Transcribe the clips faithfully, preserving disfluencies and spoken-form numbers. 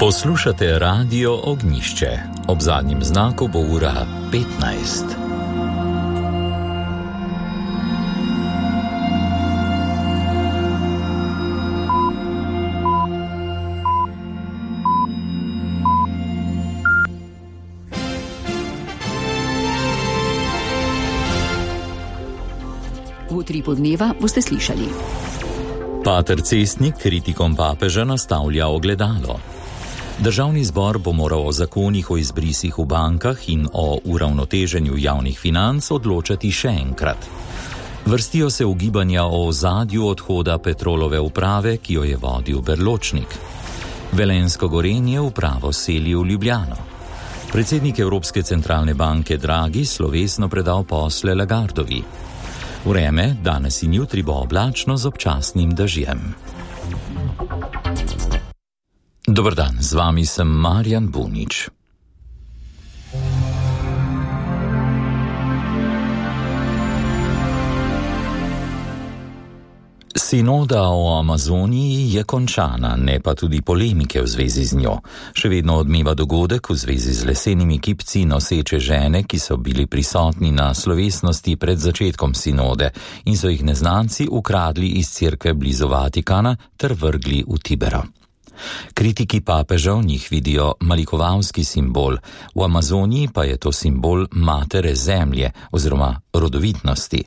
Poslušate Radio Ognjišče. Ob zadnjem znaku bo ura petnajst. V utripu dneva boste slišali. Pater Cestnik kritikom papeža nastavlja ogledalo. Državni zbor bo moral o zakonih o izbrisih v bankah in o uravnoteženju javnih financ odločati še enkrat. Vrstijo se ugibanja o ozadju odhoda Petrolove uprave, ki jo je vodil Berločnik. Velenjsko Gorenje upravo seli v Ljubljano. Predsednik Evropske centralne banke Draghi slovesno predal posle Lagardovi. Vreme danes in jutri bo oblačno z občasnim dežjem. Dober dan, z vami sem Marjan Bunič. Sinoda o Amazoniji je končana, ne pa tudi polemike v zvezi z njo. Še vedno odmeva dogodek v zvezi z lesenimi kipci noseče žene, ki so bili prisotni na slovesnosti pred začetkom sinode in so jih neznanci ukradli iz cerkve blizu Vatikana ter vrgli v Tibero. Kritiki papeža v njih vidijo malikovalski simbol, v Amazoniji pa je to simbol matere zemlje oziroma rodovitnosti.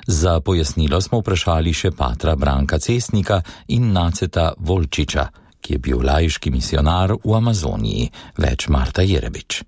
Za pojasnilo smo vprašali še patra Branka Cestnika in Naceta Volčiča, ki je bil laiški misionar v Amazoniji, več Marta Jerebič.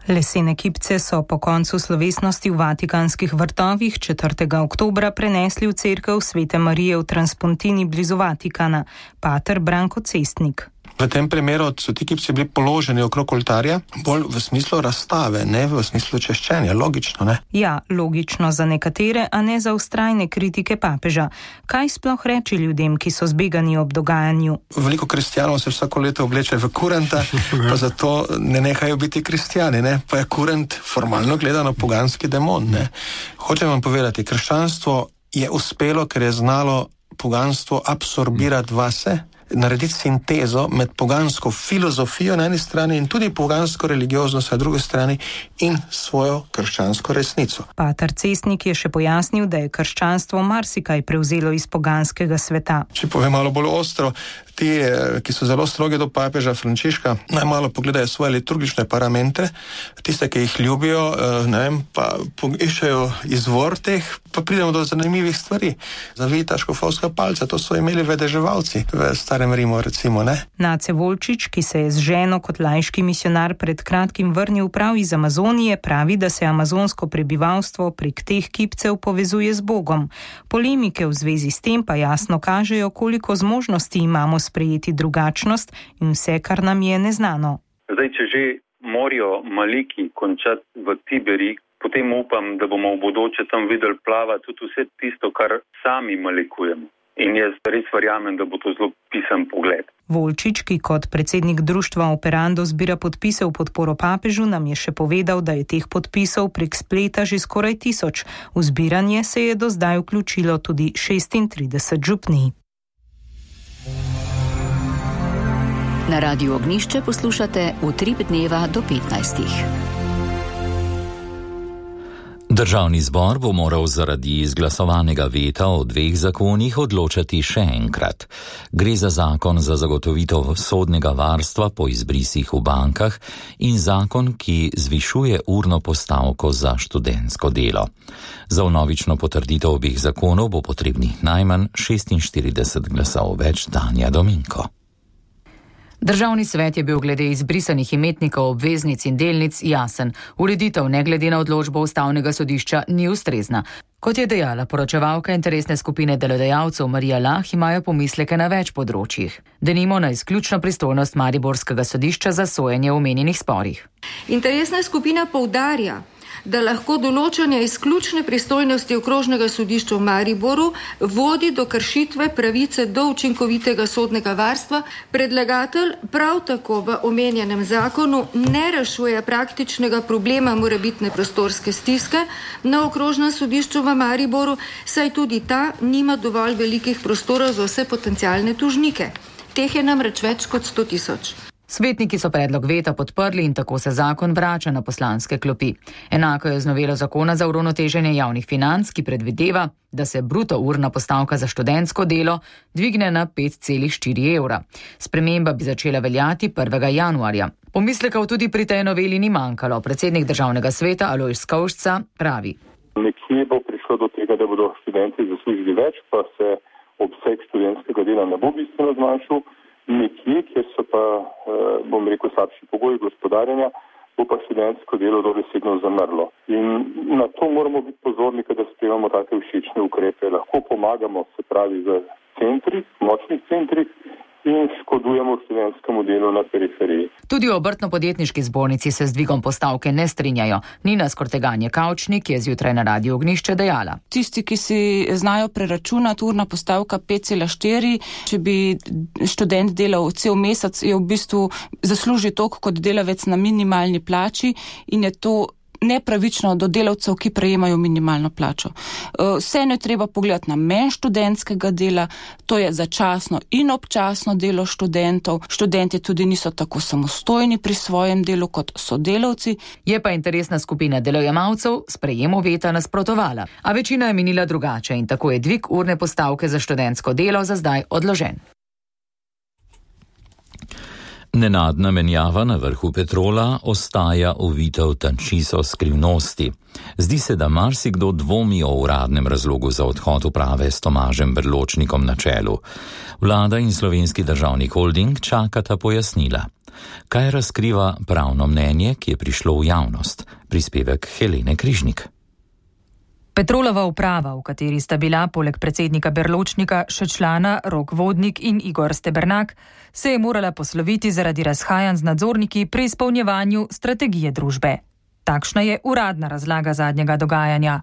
Lesene kipce so po koncu slovesnosti v Vatikanskih vrtovih četrtega oktobra prenesli v cerkev Svete Marije v Transpontini blizu Vatikana. Pater Branko Cestnik. V tem primeru so ti kipci bili položeni okrog oltarja, bolj v smislu razstave, ne v smislu češčenja. Logično, ne? Ja, logično za nekatere, a ne za vztrajne kritike papeža. Kaj sploh reči ljudem, ki so zbegani ob dogajanju? Veliko kristjanov se vsako leto obleče v kurenta, pa zato ne nehajo biti kristjani, ne? Pa je kurent formalno gledano poganski demon, ne? Hočem vam povedati, krščanstvo je uspelo, ker je znalo poganstvo absorbirati vase, narediti sintezo med pogansko filozofijo na eni strani in tudi pogansko religioznost na drugi strani in svojo krščansko resnico. Pater Cestnik je še pojasnil, da je krščanstvo marsikaj prevzelo iz poganskega sveta. Če povem malo bolj ostro, ti, ki so zelo strogi do papeža Frančiška, naj malo pogledajo svoje liturgične parametre, tiste, ki jih ljubijo, ne vem, pa iščejo izvor teh, pa pridemo do zanimivih stvari. Zavita škofovska palca, to so imeli vedeževalci v starem Rimu, recimo, ne? Nace Volčič, ki se je z ženo kot laiški misionar pred kratkim vrnil prav iz Amazonije, pravi, da se amazonsko prebivalstvo prek teh kipcev povezuje z Bogom. Polemike v zvezi s tem pa jasno kažejo, koliko zmožnosti imamo sprejeti drugačnost in vse, kar nam je neznano. Zdaj, če že morajo maliki končati v Tiberi, potem upam, da bomo v bodoče tam videli plavati tudi vse tisto, kar sami malikujemo. In jaz res verjamem, da bo to zelo pisan pogled. Volčič, ki kot predsednik društva Operando zbira podpise v podporo papežu, nam je še povedal, da je teh podpisov prek spleta že skoraj tisoč. V zbiranje se je do zdaj vključilo tudi šestintrideset župnij. Na Radiu Ognjišče poslušate Utrip dneva do petnajstih. Državni zbor bo moral zaradi izglasovanega veta o dveh zakonih odločati še enkrat. Gre za zakon za zagotovitev sodnega varstva po izbrisih v bankah in zakon, ki zvišuje urno postavko za študentsko delo. Za vnovično potrditev obeh zakonov bo potrebnih najmanj šestinštirideset glasov več. Tanja Dominko. Državni svet je bil glede izbrisanih imetnikov obveznic in delnic jasen. Ureditev ne glede na odločbo ustavnega sodišča ni ustrezna. Kot je dejala poročevalka interesne skupine delodajalcev Marija Lah, imajo pomisleke na več področjih. Denimo na izključno pristojnost mariborskega sodišča za sojenje v omenjenih sporih. Interesna skupina poudarja, da lahko določanje izključne pristojnosti okrožnega sodišča v Mariboru vodi do kršitve pravice do učinkovitega sodnega varstva. Predlagatelj prav tako v omenjenem zakonu ne rešuje praktičnega problema morebitne prostorske stiske na okrožnem sodišču v Mariboru, saj tudi ta nima dovolj velikih prostorov za vse potencialne tožnike. Teh je namreč več kot sto tisoč. Svetniki so predlog veta podprli in tako se zakon vrača na poslanske klopi. Enako je z novelo zakona za uravnoteženje javnih financ, ki predvideva, da se bruto urna postavka za študentsko delo dvigne na pet celih štiri evra. Sprememba bi začela veljati prvega januarja. Pomislekov tudi pri tej noveli ni manjkalo. Predsednik državnega sveta Alojz Skovšca pravi. Nekje bo prišlo do tega, da bodo študenti zaslužili več, pa se obseg študentskega dela ne bo bistveno zmanjšal. Nekje, kjer so pa, bom rekel, slabši pogoji gospodarjenja, bo pa študentsko delo dobesedno zamrlo. In na to moramo biti pozorni, kada sprejemamo take všečne ukrepe. Lahko pomagamo, se pravi, v centrih, močnih centrih in škodujemo študentskemu delu na periferiji. Tudi v obrtno-podjetniški zbornici se z dvigom postavke ne strinjajo. Nina Skorteganje Kavčnik je zjutraj na Radiu Ognjišče dejala. Tisti, ki si znajo preračunati urna postavka pet celih štiri, če bi študent delal cel mesec, je v bistvu zasluži toliko kot delavec na minimalni plači in je to nepravično do delavcev, ki prejemajo minimalno plačo. Vseeno je treba pogledati namen študentskega dela, to je začasno in občasno delo študentov. Študenti tudi niso tako samostojni pri svojem delu kot sodelavci. Je pa interesna skupina delojemalcev sprejemu veta nasprotovala, a večina je menila drugače in tako je dvig urne postavke za študentsko delo za zdaj odložen. Nenadna menjava na vrhu Petrola ostaja ovita v tančiso skrivnosti. Zdi se, da marsikdo dvomi o uradnem razlogu za odhod uprave s Tomažem Berločnikom na čelu. Vlada in Slovenski državni holding čakata pojasnila. Kaj razkriva pravno mnenje, ki je prišlo v javnost? Prispevek Helene Križnik. Petrolova uprava, v kateri sta bila poleg predsednika Berločnika še člana Rok Vodnik in Igor Stebernak, se je morala posloviti zaradi razhajanj z nadzorniki pri izpolnjevanju strategije družbe. Takšna je uradna razlaga zadnjega dogajanja.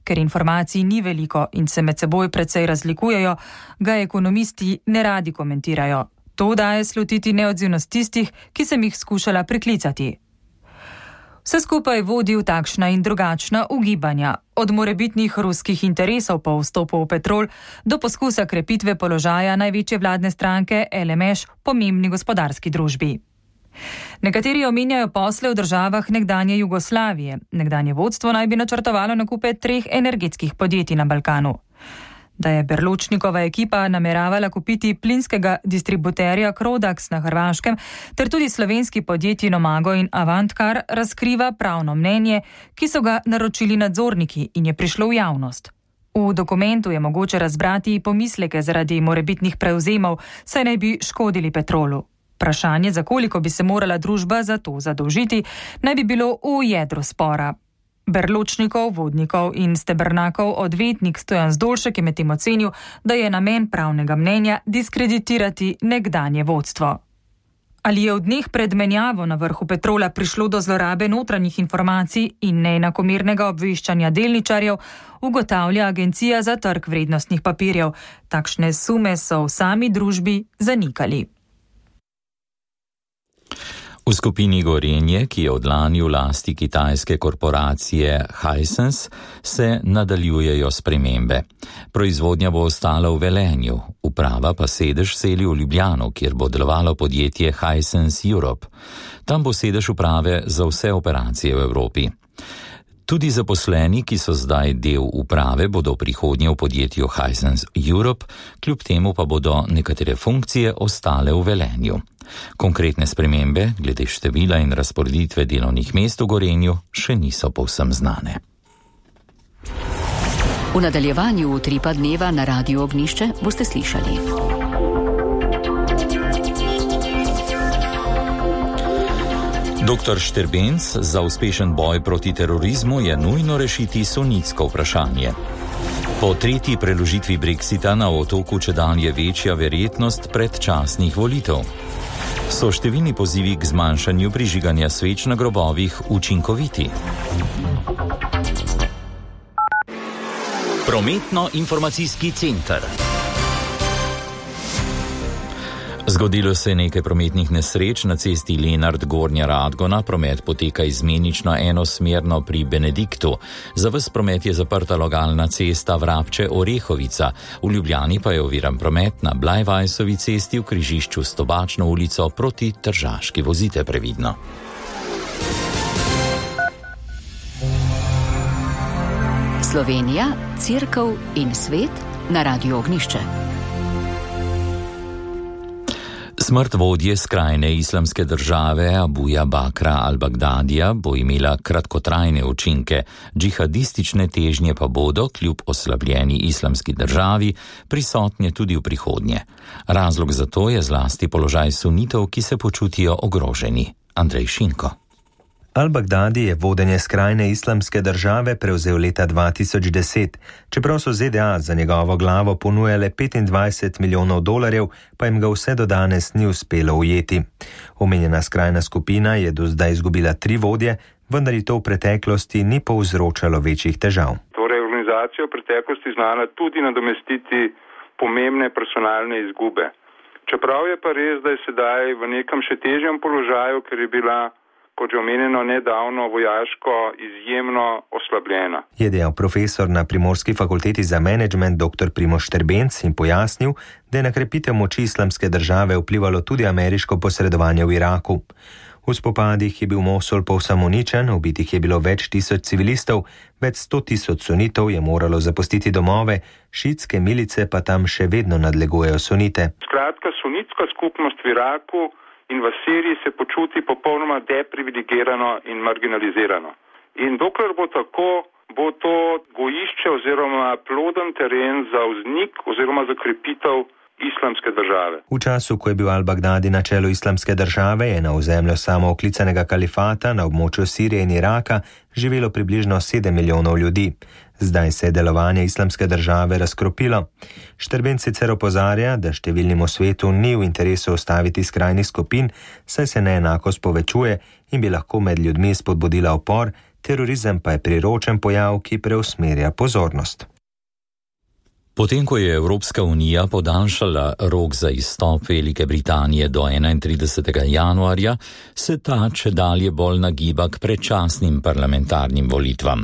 Ker informacij ni veliko in se med seboj precej razlikujejo, ga ekonomisti ne radi komentirajo. To daje slutiti neodzivnost tistih, ki sem jih skušala priklicati. Vse skupaj vodi v takšna in drugačna ugibanja, od morebitnih ruskih interesov po vstopu v Petrol do poskusa krepitve položaja največje vladne stranke L M Š v pomembni gospodarski družbi. Nekateri omenjajo posle v državah nekdanje Jugoslavije. Nekdanje vodstvo naj bi načrtovalo nakupe treh energetskih podjetij na Balkanu. Da je Berločnikova ekipa nameravala kupiti plinskega distributerja Krodax na Hrvaškem ter tudi slovenski podjetji Nomago in Avantkar, razkriva pravno mnenje, ki so ga naročili nadzorniki in je prišlo v javnost. V dokumentu je mogoče razbrati pomisleke zaradi morebitnih prevzemov, saj naj bi škodili Petrolu. Vprašanje, za koliko bi se morala družba za to zadolžiti, naj bi bilo v jedru spora. Berločnikov, Vodnikov in Stebernakov odvetnik Stojan Zdolšek je medtem ocenil, da je namen pravnega mnenja diskreditirati nekdanje vodstvo. Ali je v dneh pred menjavo na vrhu Petrola prišlo do zlorabe notranjih informacij in neenakomernega obveščanja delničarjev, ugotavlja Agencija za trg vrednostnih papirjev. Takšne sume so v sami družbi zanikali. V skupini Gorenje, ki je od lani v lasti kitajske korporacije Hisense, se nadaljujejo spremembe. Proizvodnja bo ostala v Velenju, uprava pa sedež seli v Ljubljano, kjer bo delovalo podjetje Hisense Europe. Tam bo sedež uprave za vse operacije v Evropi. Tudi zaposleni, ki so zdaj del uprave, bodo v prihodnje v podjetju Hisense Europe, kljub temu pa bodo nekatere funkcije ostale v Velenju. Konkretne spremembe glede števila in razporeditve delovnih mest v Gorenju še niso povsem znane. V nadaljevanju Utripa dneva na Radiu Ognjišče boste slišali. Doktor Šterbenc, za uspešen boj proti terorizmu je nujno rešiti sunitsko vprašanje. Po tretji preložitvi Brexita na otoku čedalje večja verjetnost predčasnih volitev. So številni pozivi k zmanjšanju prižiganja sveč na grobovih učinkoviti? Prometno-informacijski center. Zgodilo se je nekaj prometnih nesreč na cesti Lenart Gornja Radgona, promet poteka izmenično enosmerno pri Benediktu. Za ves promet je zaprta lokalna cesta Vrabče Orehovica, v Ljubljani pa je oviran promet na Blajvajsovi cesti v križišču s Tobačno ulico proti Tržaški. Vozite previdno. Slovenija, Cerkev in svet na Radiu Ognišče. Smrt vodje skrajne islamske države Abuja Bakra al-Bagdadija bo imela kratkotrajne učinke, džihadistične težnje pa bodo, kljub oslabljeni islamski državi, prisotne tudi v prihodnje. Razlog za to je zlasti položaj sunitov, ki se počutijo ogroženi. Andrej Šinko. Al-Bagdadi je vodenje skrajne islamske države prevzel leta dva tisoč deset. Čeprav so Z D A za njegovo glavo ponujale petindvajset milijonov dolarjev, pa jim ga vse do danes ni uspelo ujeti. Omenjena skrajna skupina je do zdaj izgubila tri vodje, vendar ji to v preteklosti ni povzročalo večjih težav. Torej, organizacija v preteklosti znala tudi nadomestiti pomembne personalne izgube. Čeprav je pa res, da je sedaj v nekem še težjem položaju, ker je bila, kot že omenjeno, nedavno vojaško izjemno oslabljena. Je dejal profesor na Primorski fakulteti za menedžment dr. Primož Štrbenc in pojasnil, da je na krepitev moči islamske države vplivalo tudi ameriško posredovanje v Iraku. V spopadih je bil Mosul povsem uničen, ubitih je bilo več tisoč civilistov, več sto tisoč sunitov je moralo zapustiti domove, šiitske milice pa tam še vedno nadlegujejo sunite. Skratka, sunitska skupnost v Iraku in v Siriji se počuti popolnoma deprivilegirano in marginalizirano. In dokler bo tako, bo to gojišče oziroma ploden teren za vznik oziroma za krepitev islamske države. V času, ko je bil Al-Bagdadi na čelu islamske države, je na ozemlju samooklicanega kalifata na območju Sirije in Iraka živelo približno sedem milijonov ljudi. Zdaj se je delovanje islamske države razkropilo. Štrbenc sicer opozarja, da številnim v svetu ni v interesu ustaviti skrajnih skupin, saj se neenakost povečuje in bi lahko med ljudmi spodbudila upor, terorizem pa je priročen pojav, ki preusmerja pozornost. Potem, ko je Evropska unija podaljšala rok za izstop Velike Britanije do enaintridesetega januarja, se ta čedalje bolj nagiba k predčasnim parlamentarnim volitvam.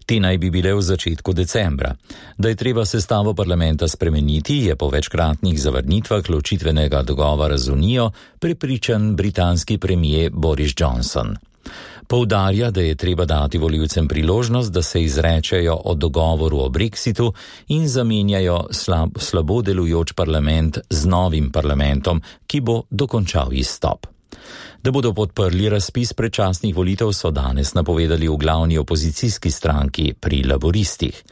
Te naj bi bile v začetku decembra. Da je treba sestavo parlamenta spremeniti, je po večkratnih zavrnitvah ločitvenega dogovora z Unijo prepričan britanski premier Boris Johnson. Poudarja, da je treba dati volivcem priložnost, da se izrečejo o dogovoru o Brexitu in zamenjajo slab, slabo delujoč parlament z novim parlamentom, ki bo dokončal izstop. Da bodo podprli razpis predčasnih volitev, so danes napovedali v glavni opozicijski stranki pri Laboristih.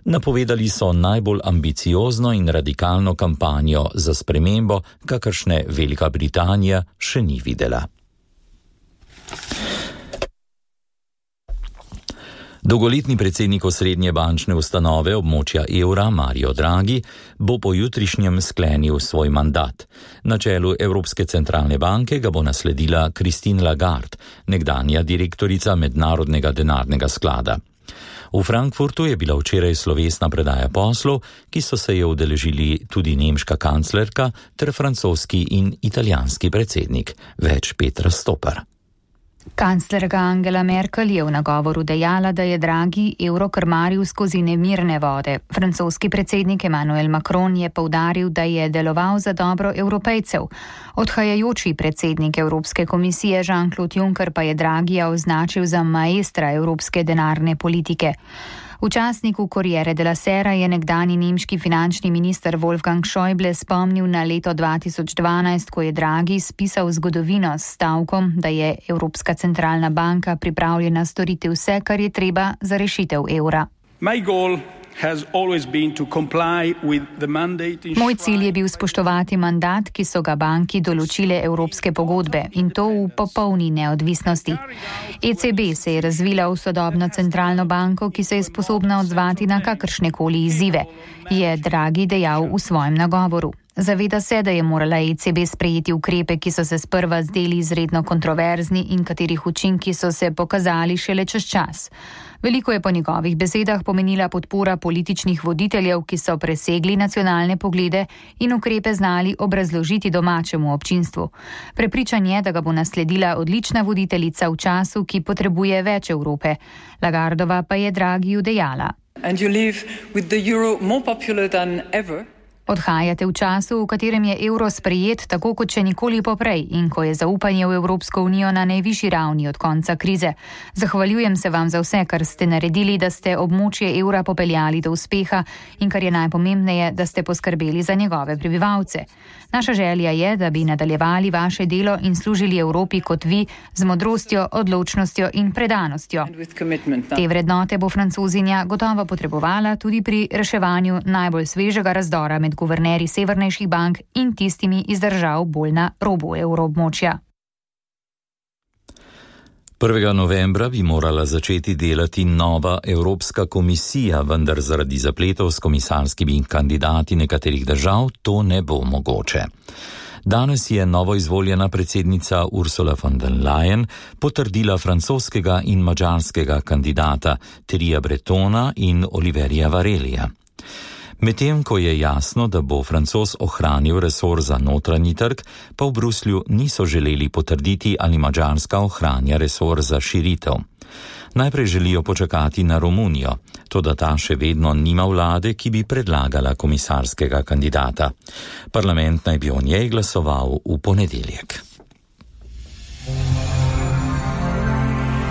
Napovedali so najbolj ambiciozno in radikalno kampanjo za spremembo, kakršne Velika Britanija še ni videla. Dolgoletni predsednik osrednje bančne ustanove območja evra Mario Draghi bo po jutrišnjem sklenil svoj mandat. Na čelu Evropske centralne banke ga bo nasledila Christine Lagarde, nekdanja direktorica Mednarodnega denarnega sklada. V Frankfurtu je bila včeraj slovesna predaja poslov, ki so se je udeležili tudi nemška kanclerka ter francoski in italijanski predsednik. Več Petra Stopar. Kanclerka Angela Merkel je v nagovoru dejala, da je Draghi evro krmaril skozi nemirne vode. Francoski predsednik Emmanuel Macron je poudaril, da je deloval za dobro Evropejcev. Odhajajoči predsednik Evropske komisije Jean-Claude Juncker pa je Draghija označil za maestra evropske denarne politike. V časniku Corriere della Sera je nekdani nemški finančni minister Wolfgang Schäuble spomnil na leto dva tisoč dvanajst, ko je Draghi spisal zgodovino s stavkom, da je Evropska centralna banka pripravljena storiti vse, kar je treba za rešitev evra. Moj cilj je bil spoštovati mandat, ki so ga banki določile evropske pogodbe, in to v popolni neodvisnosti. E C B se je razvila v sodobno centralno banko, ki se je sposobna odzvati na kakršnekoli izzive, je Draghi dejal v svojem nagovoru. Zaveda se, da je morala E C B sprejeti ukrepe, ki so se sprva zdeli izredno kontroverzni in katerih učinki so se pokazali šele čez čas. Veliko je po njegovih besedah pomenila podpora političnih voditeljev, ki so presegli nacionalne poglede in ukrepe znali obrazložiti domačemu občinstvu. Prepričan je, da ga bo nasledila odlična voditeljica v času, ki potrebuje več Evrope. Lagardova pa je Draghiju dejala. And you live with the euro more popular than ever. Odhajate v času, v katerem je evro sprejet tako kot še nikoli poprej in ko je zaupanje v Evropsko unijo na najvišji ravni od konca krize. Zahvaljujem se vam za vse, kar ste naredili, da ste območje evra popeljali do uspeha in kar je najpomembneje, da ste poskrbeli za njegove prebivalce. Naša želja je, da bi nadaljevali vaše delo in služili Evropi kot vi z modrostjo, odločnostjo in predanostjo. Te vrednote bo Francozinja gotovo potrebovala tudi pri reševanju najbolj svežega razdora med guvernerji severnejših bank in tistimi iz držav bolj na robu evroobmočja. prvega novembra bi morala začeti delati nova Evropska komisija, vendar zaradi zapletov s komisarskimi kandidati nekaterih držav to ne bo mogoče. Danes je novoizvoljena predsednica Ursula von der Leyen potrdila francoskega in madžarskega kandidata Thierryja Bretona in Oliverja Varelija. Medtem ko je jasno, da bo Francoz ohranil resor za notranji trg, pa v Bruslju niso želeli potrditi, ali Madžarska ohranja resor za širitev. Najprej želijo počakati na Romunijo, toda ta še vedno nima vlade, ki bi predlagala komisarskega kandidata. Parlament naj bi o njej glasoval v ponedeljek.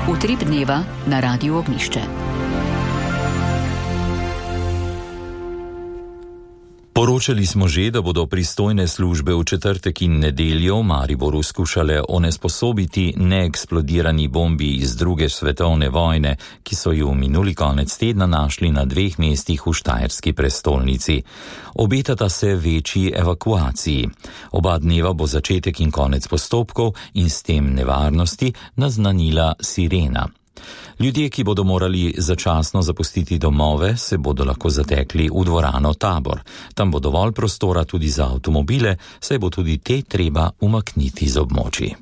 Utrip dneva na Radiu Ognjišče. Poročali smo že, da bodo pristojne službe v četrtek in nedeljo v Mariboru skušale onesposobiti neeksplodirani bombi iz druge svetovne vojne, ki so ju minuli konec tedna našli na dveh mestih v štajerski prestolnici. Obetata se večji evakuaciji. Oba dneva bo začetek in konec postopkov in s tem nevarnosti naznanila sirena. Ljudje, ki bodo morali začasno zapustiti domove, se bodo lahko zatekli v dvorano Tabor. Tam bo dovolj prostora tudi za avtomobile, saj bo tudi te treba umakniti z območij.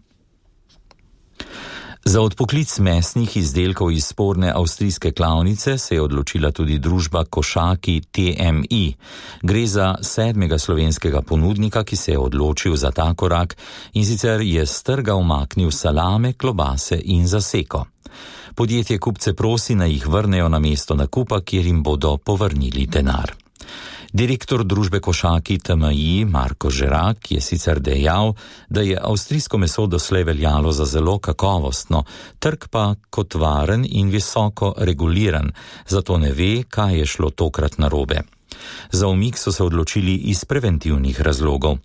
Za odpoklic mesnih izdelkov iz sporne avstrijske klavnice se je odločila tudi družba Košaki T M I. Gre za sedmega slovenskega ponudnika, ki se je odločil za ta korak in sicer je s trga umaknil salame, klobase in zaseko. Podjetje kupce prosi, naj jih vrnejo na mesto nakupa, kjer jim bodo povrnili denar. Direktor družbe Košaki T M I Marko Žerak je sicer dejal, da je avstrijsko meso doslej veljalo za zelo kakovostno, trg pa kot varen in visoko reguliran, zato ne ve, kaj je šlo tokrat narobe. Za umik so se odločili iz preventivnih razlogov.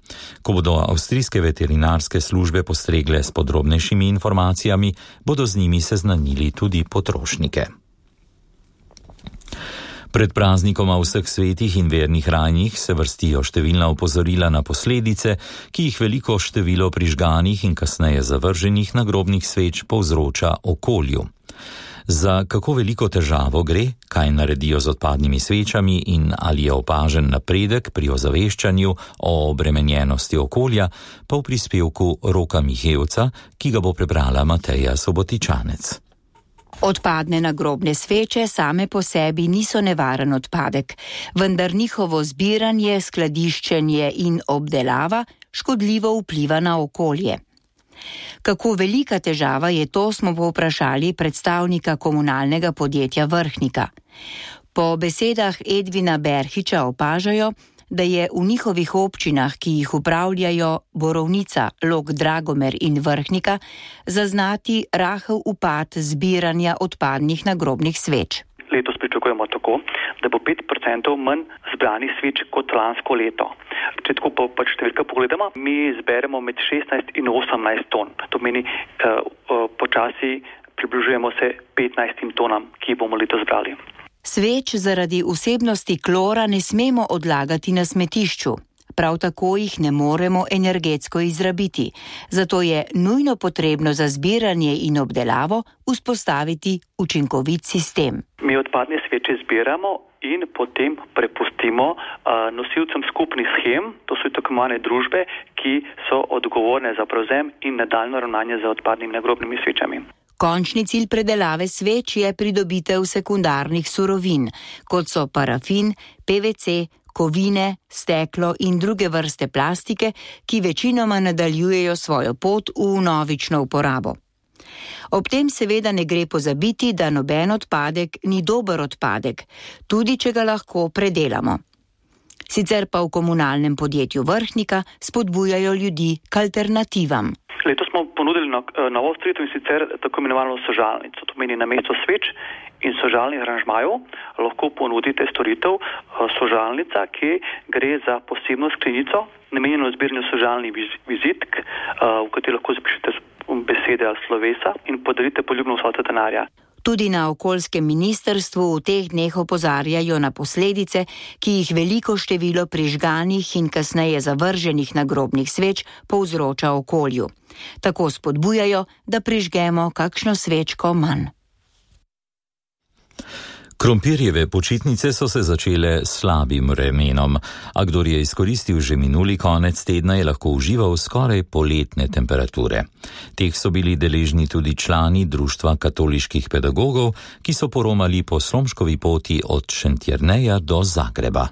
Ko bodo avstrijske veterinarske službe postregle s podrobnejšimi informacijami, bodo z njimi seznanili tudi potrošnike. Pred praznikoma vseh svetih in vernih rajnih se vrstijo številna opozorila na posledice, ki jih veliko število prižganih in kasneje zavrženih nagrobnih sveč povzroča okolju. Za kako veliko težavo gre, kaj naredijo z odpadnimi svečami in ali je opažen napredek pri ozaveščanju o obremenjenosti okolja, pa v prispevku Roka Mihevca, ki ga bo prebrala Mateja Sobotičanec. Odpadne nagrobne sveče same po sebi niso nevaren odpadek, vendar njihovo zbiranje, skladiščenje in obdelava škodljivo vpliva na okolje. Kako velika težava je to, smo povprašali predstavnika komunalnega podjetja Vrhnika. Po besedah Edvina Berhiča opažajo, da je v njihovih občinah, ki jih upravljajo Borovnica, Log, Dragomer in Vrhnika, zaznati rahel upad zbiranja odpadnih nagrobnih sveč. Letos pričakujemo tako, da bo pet procentov manj zbranih sveč kot lansko leto. Če tako pa pač številka pogledamo, mi zberemo med šestnajst in osemnajst ton. To meni, uh, uh, počasi približujemo se petnajstim tonam, ki bomo letos zbrali. Sveč zaradi vsebnosti klora ne smemo odlagati na smetišču. prav tako jih ne moremo energetsko izrabiti. Zato je nujno potrebno za zbiranje in obdelavo vzpostaviti učinkovit sistem. Mi odpadne sveče zbiramo in potem prepustimo uh, nosilcem skupnih shem, to so tako imenovane družbe, ki so odgovorne za prevzem in nadaljnje ravnanje z odpadnimi nagrobnimi svečami. Končni cilj predelave sveč je pridobitev sekundarnih surovin, kot so parafin, P V C, kovine, steklo in druge vrste plastike, ki večinoma nadaljujejo svojo pot v vnovično uporabo. Ob tem seveda ne gre pozabiti, da noben odpadek ni dober odpadek, tudi če ga lahko predelamo. Sicer pa v komunalnem podjetju Vrhnika spodbujajo ljudi k alternativam. Letos smo ponudili novo storitev in sicer tako imenovano sožalnico. To pomeni namesto sveč in sožalnih aranžmajev lahko ponudite storitev sožalnica, ki gre za posebno sklenico, namenjeno zbiranju sožalnih vizitk, v kateri lahko zapišete besede ali slovesa in podarite poljubno vsoto denarja. Tudi na okoljskem ministrstvu v teh dneh opozarjajo na posledice, ki jih veliko število prižganih in kasneje zavrženih nagrobnih sveč povzroča okolju. Tako spodbujajo, da prižgemo kakšno svečko manj. Krompirjeve počitnice so se začele s slabim vremenom, a kdor je izkoristil že minuli konec tedna, je lahko užival skoraj poletne temperature. Teh so bili deležni tudi člani Društva katoliških pedagogov, ki so poromali po Slomškovi poti od Šentjerneja do Zagreba.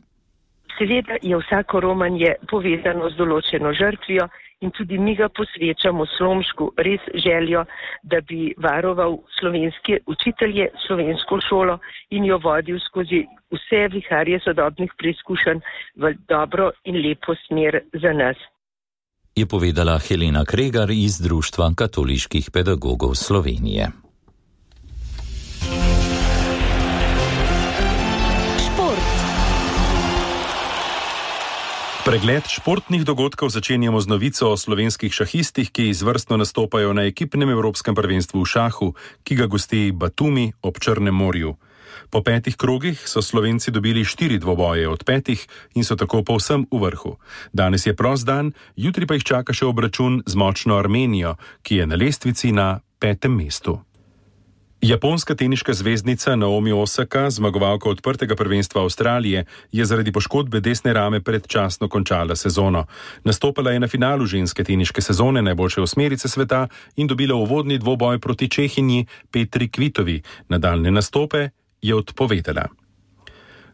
Seveda je vsako romanje povezano z določeno žrtvijo in tudi mi ga posvečamo Slomšku res željo, da bi varoval slovenske učitelje, slovensko šolo in jo vodil skozi vse viharje sodobnih preizkušenj v dobro in lepo smer za nas. Je povedala Helena Kregar iz Društva katoliških pedagogov Slovenije. Pregled športnih dogodkov začenjamo z novico o slovenskih šahistih, ki izvrstno nastopajo na ekipnem evropskem prvenstvu v šahu, ki ga gosti Batumi ob Črnem morju. Po petih krogih so Slovenci dobili štiri dvoboje od petih in so tako povsem v vrhu. Danes je prost dan, jutri pa jih čaka še obračun z močno Armenijo, ki je na lestvici na petem mestu. Japonska teniška zvezdnica Naomi Osaka, zmagovalka odprtega prvenstva Avstralije, je zaradi poškodbe desne rame predčasno končala sezono. Nastopala je na finalu ženske teniške sezone najboljše osmerice sveta in dobila uvodni dvoboj proti Čehinji Petri Kvitovi. Nadaljne nastope je odpovedala.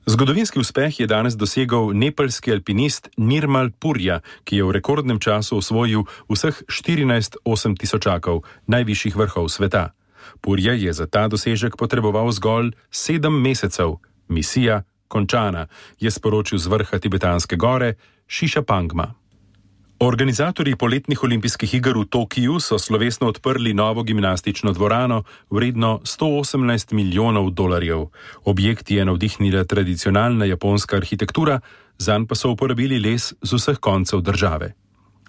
Zgodovinski uspeh je danes dosegel nepalski alpinist Nirmal Purja, ki je v rekordnem času osvojil vseh štirinajst osemtisočakov, najvišjih vrhov sveta. Purja je za ta dosežek potreboval zgolj sedem mesecev. Misija končana, je sporočil z vrha tibetanske gore Šiša Pangma. Organizatorji poletnih olimpijskih iger v Tokiju so slovesno odprli novo gimnastično dvorano vredno sto osemnajst milijonov dolarjev. Objekt je navdihnila tradicionalna japonska arhitektura, zanj pa so uporabili les z vseh koncev države.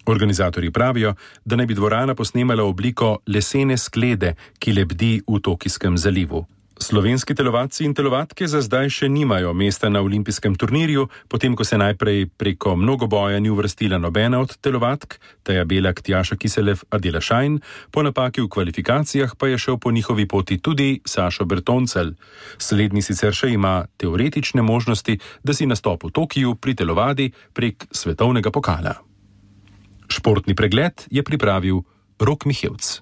Organizatorji pravijo, da naj bi dvorana posnemala obliko lesene sklede, ki lebdi v Tokijskem zalivu. Slovenski telovadci in telovadke za zdaj še nimajo mesta na olimpijskem turnirju, potem ko se najprej preko mnogoboja ni uvrstila nobena od telovadk, Teja Belak, Tjaša Kiselev, Adela Šajn, po napaki v kvalifikacijah pa je šel po njihovi poti tudi Sašo Bertoncel. Slednji sicer še ima teoretične možnosti, da si nastop v Tokiju pri telovadi prek svetovnega pokala. Športni pregled je pripravil Rok Mihevc.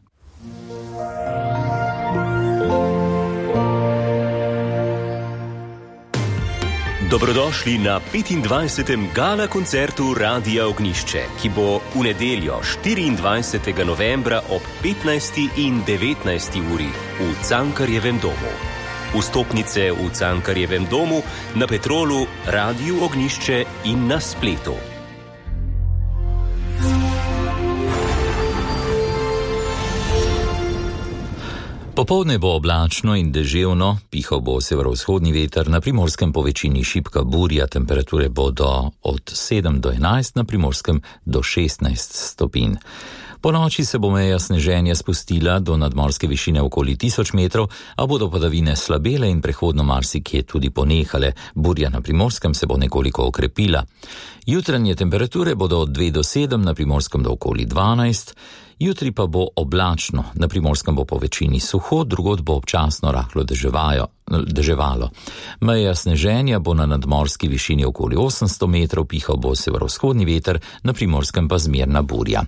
Dobrodošli na petindvajsetem gala koncertu Radia Ognišče, ki bo v nedeljo štiriindvajsetega novembra ob petnajsti in devetnajsti uri v Cankarjevem domu. Vstopnice v Cankarjevem domu, na Petrolu, Radiu Ognišče in na spletu. Po Popoldne bo oblačno in deževno, pihal bo severovzhodni veter, na Primorskem po večini šibka burja, temperature bodo od sedem do enajst, na Primorskem do šestnajst stopinj. Po noči se bo meja sneženja spustila do nadmorske višine okoli tisoč metrov, a bodo padavine slabele in prehodno marsikje tudi ponehale. Burja na Primorskem se bo nekoliko okrepila. Jutranje temperature bodo od dve do sedem, na Primorskem do okoli dvanajst. Jutri pa bo oblačno, na Primorskem bo po večini suho, drugod bo občasno rahlo deževalo. Meja sneženja bo na nadmorski višini okoli osemsto metrov, pihal bo severovzhodni veter, na Primorskem pa zmerna burja.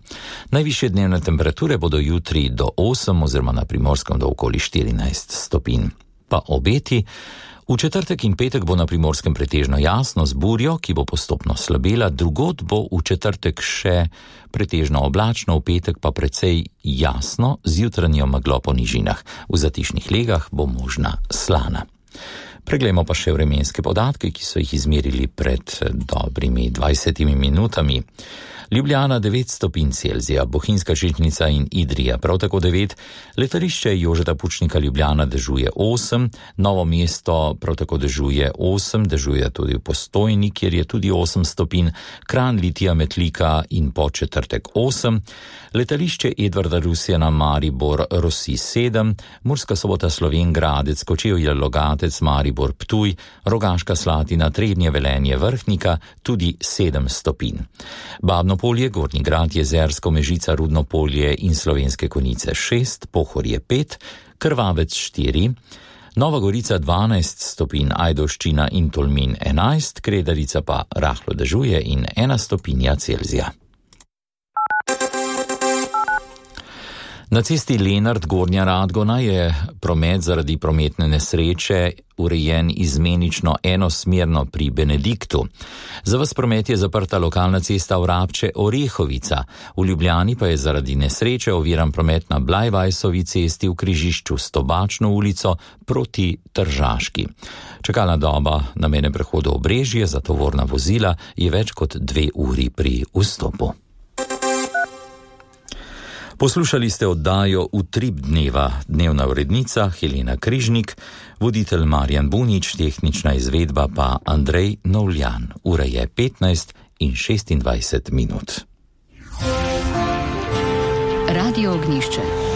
Najvišje dnevne temperature bodo jutri do osem oziroma na Primorskem do okoli štirinajst stopinj. Pa obeti. V četrtek in petek bo na Primorskem pretežno jasno z burjo, ki bo postopno slabela, drugod bo v četrtek še pretežno oblačno, v petek pa precej jasno z jutranjo meglo po nižinah. V zatišnih legah bo možna slana. Preglejmo pa še vremenske podatke, ki so jih izmerili pred dobrimi dvajsetimi minutami. Ljubljana devet stopinj Celzija, Bohinjska Žičnica in Idrija prav tako devet, letališče Jožeta Pučnika Ljubljana dežuje osem, Novo mesto prav tako dežuje osem, dežuje tudi v Postojni, kjer je tudi osem stopinj, Kranj, Litija, Metlika in Podčetrtek osem, letališče Edvarda Rusjana Maribor Rosi sedem, Murska Sobota Slovenj Gradec, Kočevje Logatec, Maribor Ptuj, Rogaška Slatina, Trebnje, Velenje, Vrhnika tudi sedem stopinj. Babno polje, Gornji Grad, Jezersko, Mežica, Rudno polje in Slovenske Konjice šest, Pohorje pet, Krvavec štiri, Nova Gorica dvanajst stopinj, Ajdovščina in Tolmin enajst, Kredarica pa rahlo dežuje in ena stopinja Celzija. Na cesti Lenart Gornja Radgona je promet zaradi prometne nesreče urejen izmenično enosmerno pri Benediktu. Za vas promet je zaprta lokalna cesta Vrabče Orehovica. V Ljubljani pa je zaradi nesreče oviran promet na Blajvajsovi cesti v križišču s Tobačno ulico proti Tržaški. Čakalna doba na mejnem prehodu Obrežje za tovorna vozila je več kot dve uri pri vstopu. Poslušali ste oddajo Utrip dneva, dnevna urednica Helena Križnik, voditelj Marjan Bunič, tehnična izvedba pa Andrej Novljan. Ura je petnajst in šestindvajset minut. Radio Ognjišče.